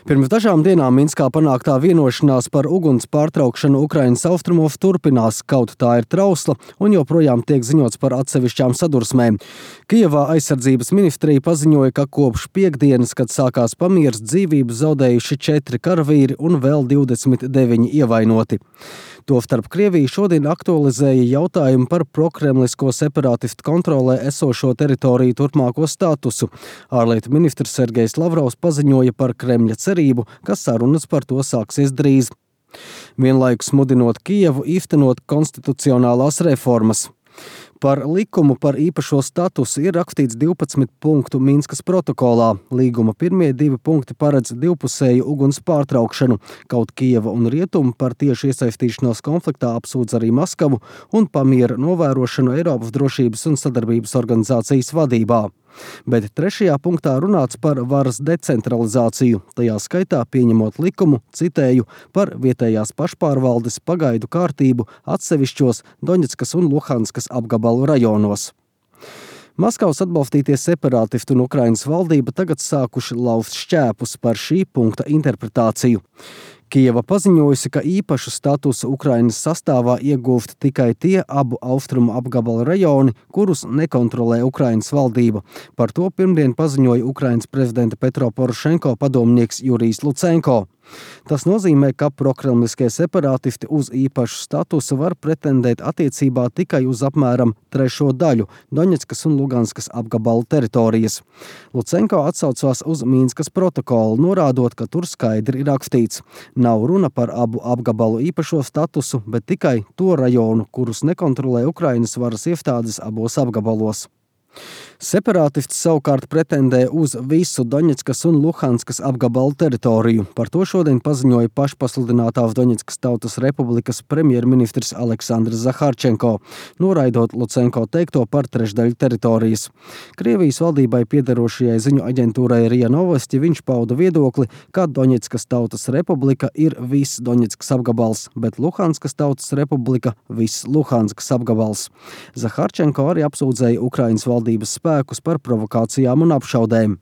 Pirms dažām dienām Minskā panāktā vienošanās par uguns pārtraukšanu Ukrainas austrumos turpinās, kaut tā ir trausla un joprojām tiek ziņots par atsevišķām sadursmēm. Kijevā aizsardzības ministrija paziņoja, ka kopš piektdienas, kad sākās pamieris, dzīvību zaudējuši 4 karavīri un vēl 29 ievainoti. Tostarp Krievija šodien aktualizēja jautājumu par prokremlisko separātistu kontrolē esošo teritoriju turpmāko statusu. Ārlietu ministrs Sergejs Lavrovs paziņoja par Kremļa cerību, ka sarunas par to sāksies drīz. Vienlaikus mudinot Kijevu īstenot konstitucionālās reformas. Par likumu par īpašo statusu ir rakstīts 12 punktu Minskas protokolā. Līguma pirmie 2 punkti paredz divpusēju uguns pārtraukšanu, kaut Kijeva un Rietumi par tieši iesaistīšanos konfliktā apsūdz arī Maskavu un pamiera novērošanu Eiropas drošības un sadarbības organizācijas vadībā. Bet 3. punktā runāts par varas decentralizāciju, tajā skaitā pieņemot likumu, citēju, par vietējās pašpārvaldes pagaidu kārtību atsevišķos Doņetskas un Luhanskas apgabalu rajonos. Maskavas atbalstītie separātisti un Ukrainas valdība tagad sākuši laust šķēpus par šī punkta interpretāciju. Kijeva paziņojusi, ka īpašu statusu Ukrainas sastāvā iegūst tikai tie abu austrumu apgabalu rajoni, kurus nekontrolē Ukrainas valdība. Par to pirmdien paziņoja Ukrainas prezidenta Petro Porošenko padomnieks Jurijs Lucenko. Tas nozīmē, ka prokremliskie separātisti uz īpašu statusu var pretendēt attiecībā tikai uz apmēram 3. daļu Doņetskas un Luganskas apgabalu teritorijas. Lucenko atsaucās uz Minskas protokolu, norādot, ka tur skaidri ir rakstīts: nav runa par abu apgabalu īpašo statusu, bet tikai to rajonu, kurus nekontrolē Ukrainas varas iestādes abos apgabalos. Separātisti savukārt pretendē uz visu Doņetskas un Luhanskas apgabalu teritoriju. Par to šodien paziņoja pašpasludinātās Doņetskas Tautas Republikas premjerministrs Aleksandrs Zaharčenko, noraidot Lucenko teikto par trešdaļu teritorijas. Krievijas valdībai piederošajai ziņu aģentūrai RIA Novosti viņš pauda viedokli, ka Doņetskas Tautas Republika ir viss Doņetskas apgabals, bet Luhanskas Tautas Republika viss Luhanskas apgabals. Zaharčenko arī apsūdzēja Ukrainas valdības spēkus par provokācijām un apšaudēm.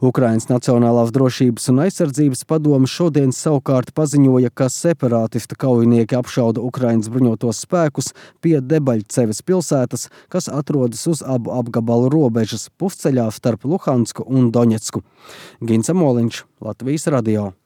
Ukrainas Nacionālās drošības un aizsardzības padome šodien savukārt paziņoja, ka separātistu kaujinieki apšauda Ukrainas bruņotos spēkus pie Debaļceves pilsētas, kas atrodas uz abu apgabalu robežas pusceļā starp Luhansku un Doņetsku. Gins Amoliņš, Latvijas radio.